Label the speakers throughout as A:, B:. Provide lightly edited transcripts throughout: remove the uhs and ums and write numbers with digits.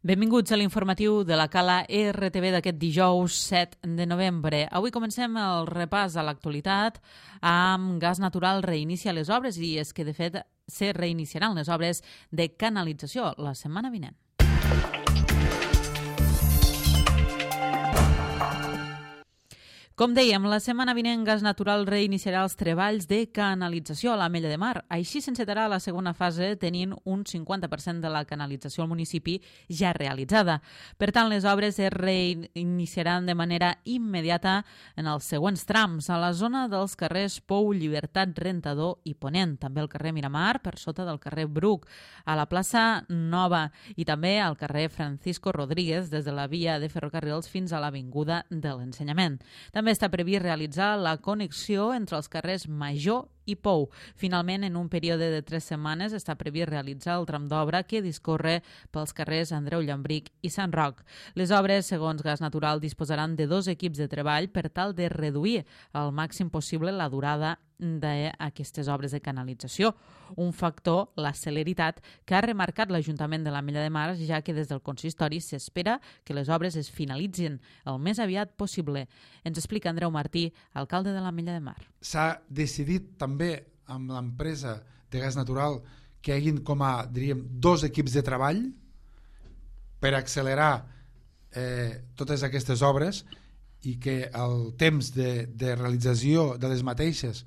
A: Benvinguts a l'informatiu de la Cala RTV d'aquest dijous 7 de novembre. Avui comencem el repàs a l'actualitat amb Gas Natural reinicia les obres i és que, de fet, se reiniciaran les obres de canalització la setmana vinent. Com dèiem, la setmana vinent Gas Natural reiniciarà els treballs de canalització a l'Ametlla de Mar. Així s'encetarà la segona fase tenint un 50% de la canalització al municipi ja realitzada. Per tant, les obres es reiniciaran de manera immediata en els següents trams, a la zona dels carrers Pou, Llibertat, Rentador i Ponent, també al carrer Miramar, per sota del carrer Bruc, a la plaça Nova i també al carrer Francisco Rodríguez, des de la via de ferrocarrils fins a l'Avinguda de l'Ensenyament. També està previst realitzar la connexió entre els carrers Major i Pou. Finalment, en un període de 3 setmanes, està previst realitzar el tram d'obra que discorre pels carrers Andreu Llambric i Sant Roc. Les obres, segons Gas Natural, disposaran de 2 equips de treball per tal de reduir al màxim possible la durada d'aquestes obres de canalització. Un factor, la celeritat, que ha remarcat l'Ajuntament de l'Ametlla de Mar, ja que des del consistori s'espera que les obres es finalitzin el més aviat possible. Ens explica Andreu Martí, alcalde de l'Ametlla de Mar.
B: S'ha decidit també amb l'empresa de Gas Natural que hi hagin com a, diríem, 2 equips de treball per accelerar totes aquestes obres i que el temps de realització de les mateixes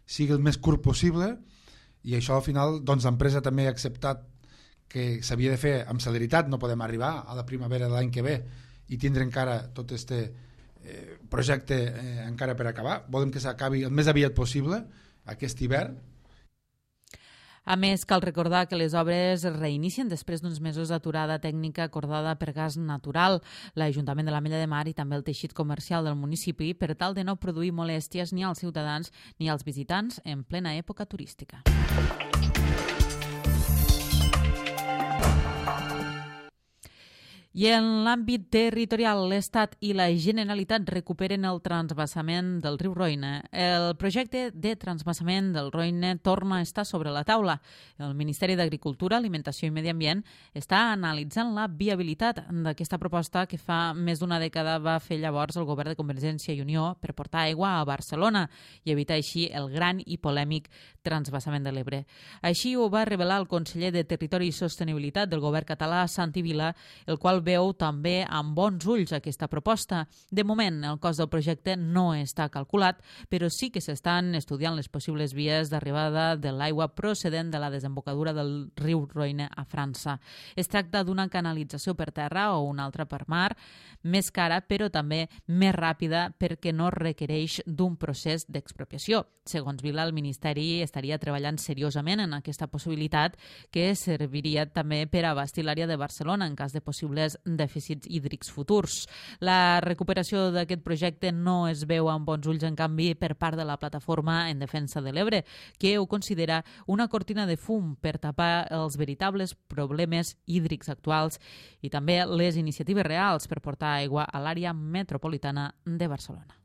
B: sigui el més curt possible, i això al final doncs, l'empresa també ha acceptat que s'havia de fer amb celeritat. No podem arribar a la primavera de l'any que ve i tindre encara tot aquest projecte encara per acabar. Volem que s'acabi el més aviat possible aquest hivern.
A: A més, cal recordar que les obres es reinicien després d'uns mesos d'aturada tècnica acordada per Gas Natural, l'Ajuntament de l'Ametlla de Mar i també el teixit comercial del municipi per tal de no produir molèsties ni als ciutadans ni als visitants en plena època turística. I en l'àmbit territorial, l'Estat i la Generalitat recuperen el transvasament del riu Roine. El projecte de transvasament del Roine torna a estar sobre la taula. El Ministeri d'Agricultura, Alimentació i Medi Ambient està analitzant la viabilitat d'aquesta proposta que fa més d'una dècada va fer llavors el govern de Convergència i Unió per portar aigua a Barcelona i evitar així el gran i polèmic transvasament de l'Ebre. Així ho va revelar el conseller de Territori i Sostenibilitat del govern català, Santi Vila, el qual veu també amb bons ulls aquesta proposta. De moment, el cost del projecte no està calculat, però sí que s'estan estudiant les possibles vies d'arribada de l'aigua procedent de la desembocadura del riu Roine a França. Es tracta d'una canalització per terra o una altra per mar, més cara però també més ràpida perquè no requereix d'un procés d'expropiació. Segons Vila, el Ministeri estaria treballant seriosament en aquesta possibilitat que serviria també per abastir l'àrea de Barcelona en cas de possibles dèficits hídrics futurs. La recuperació d'aquest projecte no es veu amb bons ulls, en canvi, per part de la Plataforma en Defensa de l'Ebre, que ho considera una cortina de fum per tapar els veritables problemes hídrics actuals i també les iniciatives reals per portar aigua a l'àrea metropolitana de Barcelona.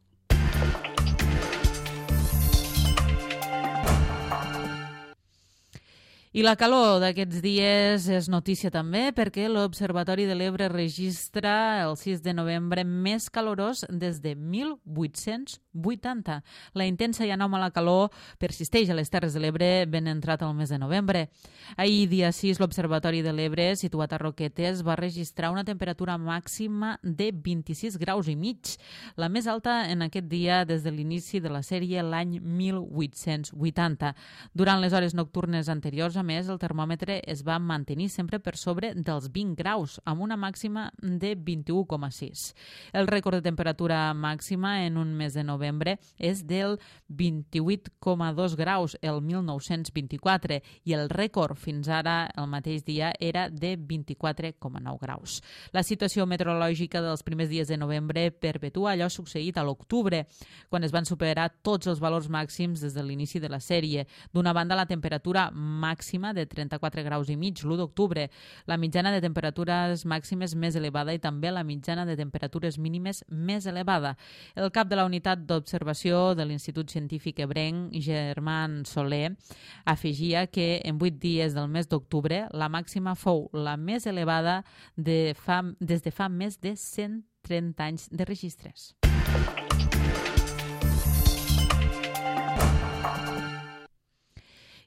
A: I la calor d'aquests dies és notícia també perquè l'Observatori de l'Ebre registra el 6 de novembre més calorós des de 1880. La intensa i anòmala calor persisteix a les Terres de l'Ebre ben entrat el mes de novembre. Ahir, dia 6, l'Observatori de l'Ebre, situat a Roquetes, va registrar una temperatura màxima de 26 graus i mig, la més alta en aquest dia des de l'inici de la sèrie l'any 1880. Durant les hores nocturnes anteriors, a més, el termòmetre es va mantenir sempre per sobre dels 20 graus, amb una màxima de 21,6. El rècord de temperatura màxima en un mes de novembre és del 28,2 graus el 1924 i el rècord fins ara, el mateix dia, era de 24,9 graus. La situació meteorològica dels primers dies de novembre perpetua allò succeït a l'octubre, quan es van superar tots els valors màxims des de l'inici de la sèrie. D'una banda, la temperatura màxima màxima de 34 graus i mig l'1 d'octubre, la mitjana de temperatures màximes més elevada i també la mitjana de temperatures mínimes més elevada. El cap de la unitat d'observació de l'Institut Científic Ebrenc, Germán Soler, afegia que en 8 dies del mes d'octubre la màxima fou la més elevada des de fa més de 130 anys de registres.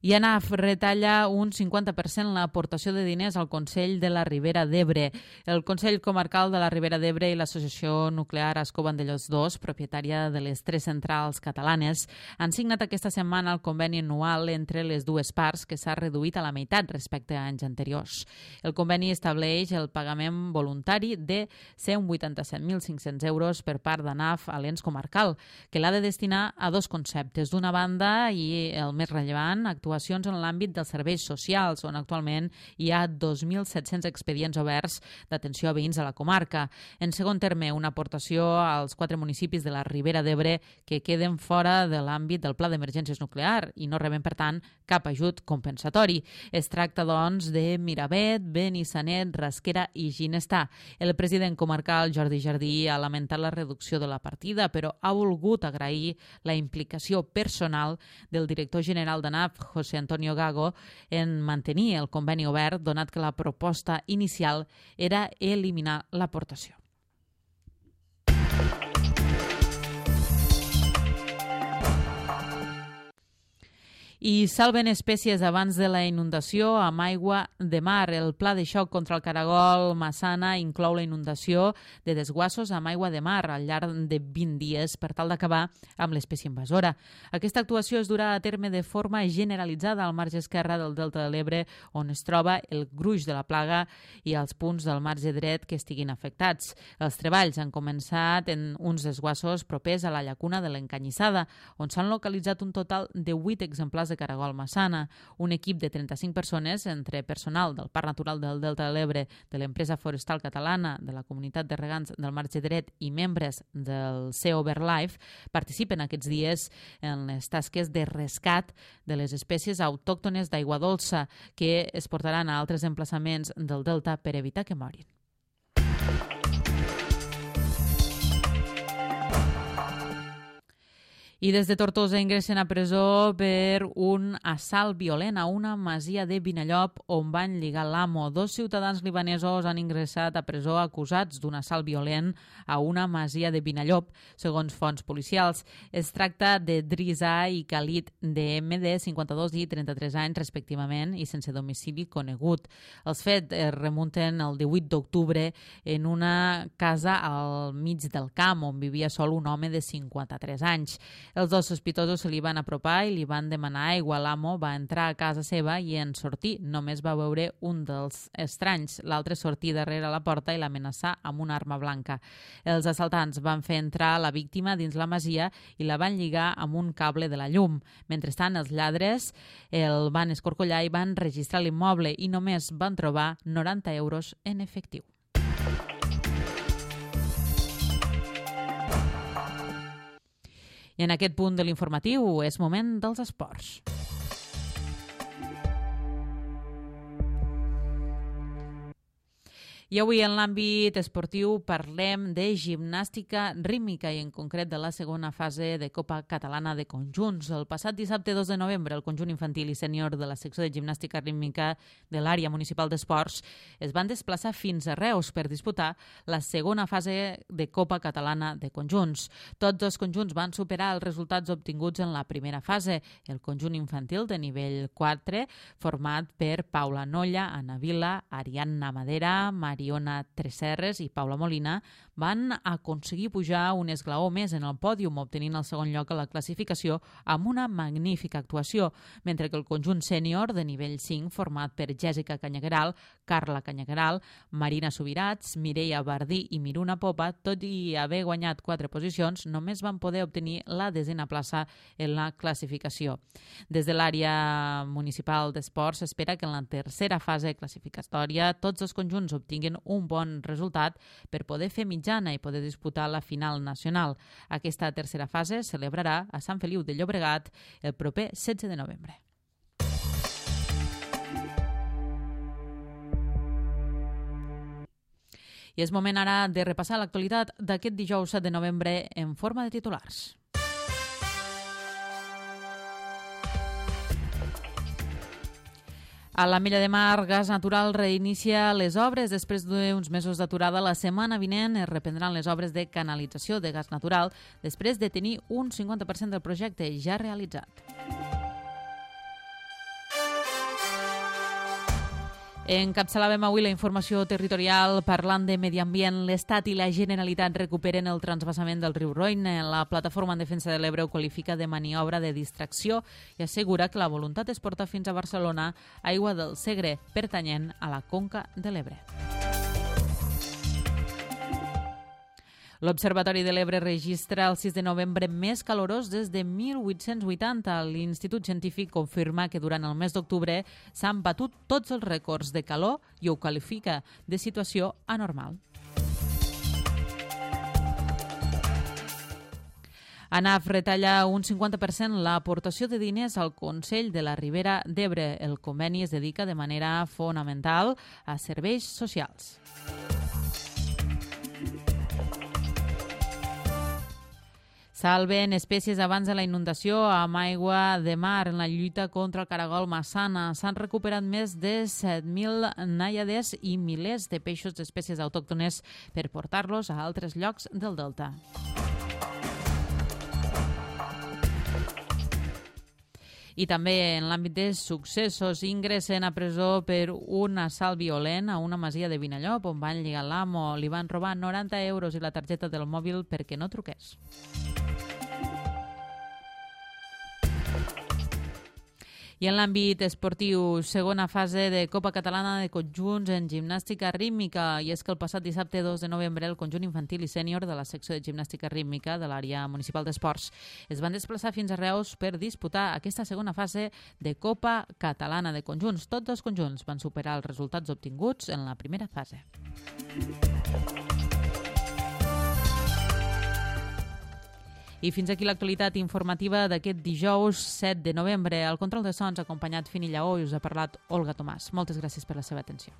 A: I ANAF retalla un 50% l'aportació de diners al Consell de la Ribera d'Ebre. El Consell Comarcal de la Ribera d'Ebre i l'Associació Nuclear Ascó Vandellòs II, propietària de les 3 centrals catalanes, han signat aquesta setmana el conveni anual entre les dues parts, que s'ha reduït a la meitat respecte a anys anteriors. El conveni estableix el pagament voluntari de 187.500 euros per part d'ANAF a l'ens comarcal, que l'ha de destinar a 2 conceptes. D'una banda, i el més rellevant, actuacions en l'àmbit dels serveis socials, on actualment hi ha 2.700 expedients oberts d'atenció a veïns de la comarca. En segon terme, una aportació als 4 municipis de la Ribera d'Ebre que queden fora de l'àmbit del Pla d'Emergències Nuclear i no reben, per tant, cap ajut compensatori. Es tracta, doncs, de Miravet, Benissanet, Rasquera i Ginestar. El president comarcal, Jordi Jardí, ha lamentat la reducció de la partida, però ha volgut agrair la implicació personal del director general d'ANAF, José Antonio Gago, en mantenir el conveni obert, donat que la proposta inicial era eliminar l'aportació. I salven espècies abans de la inundació amb aigua de mar. El pla de xoc contra el caragol Massana inclou la inundació de desguassos amb aigua de mar al llarg de 20 dies per tal d'acabar amb l'espècie invasora. Aquesta actuació es durà a terme de forma generalitzada al marge esquerre del Delta de l'Ebre, on es troba el gruix de la plaga, i als punts del marge dret que estiguin afectats. Els treballs han començat en uns desguassos propers a la llacuna de l'Encanyissada, on s'han localitzat un total de 8 exemplars de caragol Massana. Un equip de 35 persones, entre personal del Parc Natural del Delta de l'Ebre, de l'empresa forestal catalana, de la comunitat de regants del marge dret i membres del CEO BirdLife, participen aquests dies en les tasques de rescat de les espècies autòctones d'aigua dolça que es portaran a altres emplaçaments del Delta per evitar que morin. I des de Tortosa ingressen a presó per un assalt violent a una masia de Vinallop on van lligar l'amo. 2 ciutadans libanesos han ingressat a presó acusats d'un assalt violent a una masia de Vinallop, segons fonts policials. Es tracta de Drisa i Khalid DM, de 52 i 33 anys respectivament, i sense domicili conegut. Els fets es remunten el 18 d'octubre en una casa al mig del camp on vivia sol un home de 53 anys. Els 2 sospitosos se li van apropar i li van demanar aigua. L'amo va entrar a casa seva i en sortir només va veure un dels estranys. L'altre sortir darrere la porta i l'amenaçar amb una arma blanca. Els assaltants van fer entrar la víctima dins la masia i la van lligar amb un cable de la llum. Mentrestant, els lladres el van escorcollar i van registrar l'immoble i només van trobar 90 euros en efectiu. I en aquest punt de l'informatiu és moment dels esports. I avui en l'àmbit esportiu parlem de gimnàstica rítmica i en concret de la segona fase de Copa Catalana de Conjunts. El passat dissabte 2 de novembre el conjunt infantil i sènior de la secció de gimnàstica rítmica de l'àrea municipal d'esports es van desplaçar fins a Reus per disputar la segona fase de Copa Catalana de Conjunts. Tots els conjunts van superar els resultats obtinguts en la primera fase. El conjunt infantil de nivell 4, format per Paula Nolla, Ana Vila, Ariadna Madera, Mariona Tresserres i Paula Molina, van aconseguir pujar un esglaó més en el pòdium, obtenint el segon lloc a la classificació amb una magnífica actuació, mentre que el conjunt sènior de nivell 5, format per Jèssica Canyagueral, Carla Canyagueral, Marina Subirats, Mireia Bardí i Miruna Popa, tot i haver guanyat 4 posicions, només van poder obtenir la 10a plaça en la classificació. Des de l'àrea municipal d'esports s'espera que en la tercera fase classificatòria tots els conjunts obtinguin un bon resultat per poder fer mitjana i poder disputar la final nacional. Aquesta tercera fase es celebrarà a Sant Feliu de Llobregat el proper 16 de novembre. I és moment ara de repassar l'actualitat d'aquest dijous 7 de novembre en forma de titulars. A la Mella de Mar, Gas Natural reinicia les obres. Després d'uns mesos d'aturada, la setmana vinent es reprendran les obres de canalització de gas natural després de tenir un 50% del projecte ja realitzat. Encapçalàvem avui la informació territorial parlant de medi ambient. L'Estat i la Generalitat recuperen el transvasament del riu Roine. La Plataforma en Defensa de l'Ebre ho qualifica de maniobra de distracció i assegura que la voluntat és portar fins a Barcelona aigua del Segre, pertanyent a la Conca de l'Ebre. L'Observatori de l'Ebre registra el 6 de novembre més calorós des de 1880. L'Institut Científic confirma que durant el mes d'octubre s'han batut tots els rècords de calor i ho qualifica de situació anormal. ANAF retalla un 50% l'aportació de diners al Consell de la Ribera d'Ebre. El conveni es dedica de manera fonamental a serveis socials. Salven espècies abans de la inundació amb aigua de mar. En la lluita contra el caragol massana s'han recuperat més de 7.000 nàiades i milers de peixos d'espècies autòctones per portar-los a altres llocs del delta. I també en l'àmbit de successos, ingressen a presó per un assalt violent a una masia de Vinallop on van lligar l'amo. Li van robar 90 euros i la targeta del mòbil perquè no truqués. I en l'àmbit esportiu, segona fase de Copa Catalana de Conjunts en gimnàstica rítmica. I és que el passat dissabte 2 de novembre el conjunt infantil i sènior de la secció de gimnàstica rítmica de l'àrea municipal d'esports es van desplaçar fins a Reus per disputar aquesta segona fase de Copa Catalana de Conjunts. Tots dos conjunts van superar els resultats obtinguts en la primera fase. I fins aquí l'actualitat informativa d'aquest dijous 7 de novembre. Al control de sons, acompanyat Fini Lleó, i us ha parlat Olga Tomàs. Moltes gràcies per la seva atenció.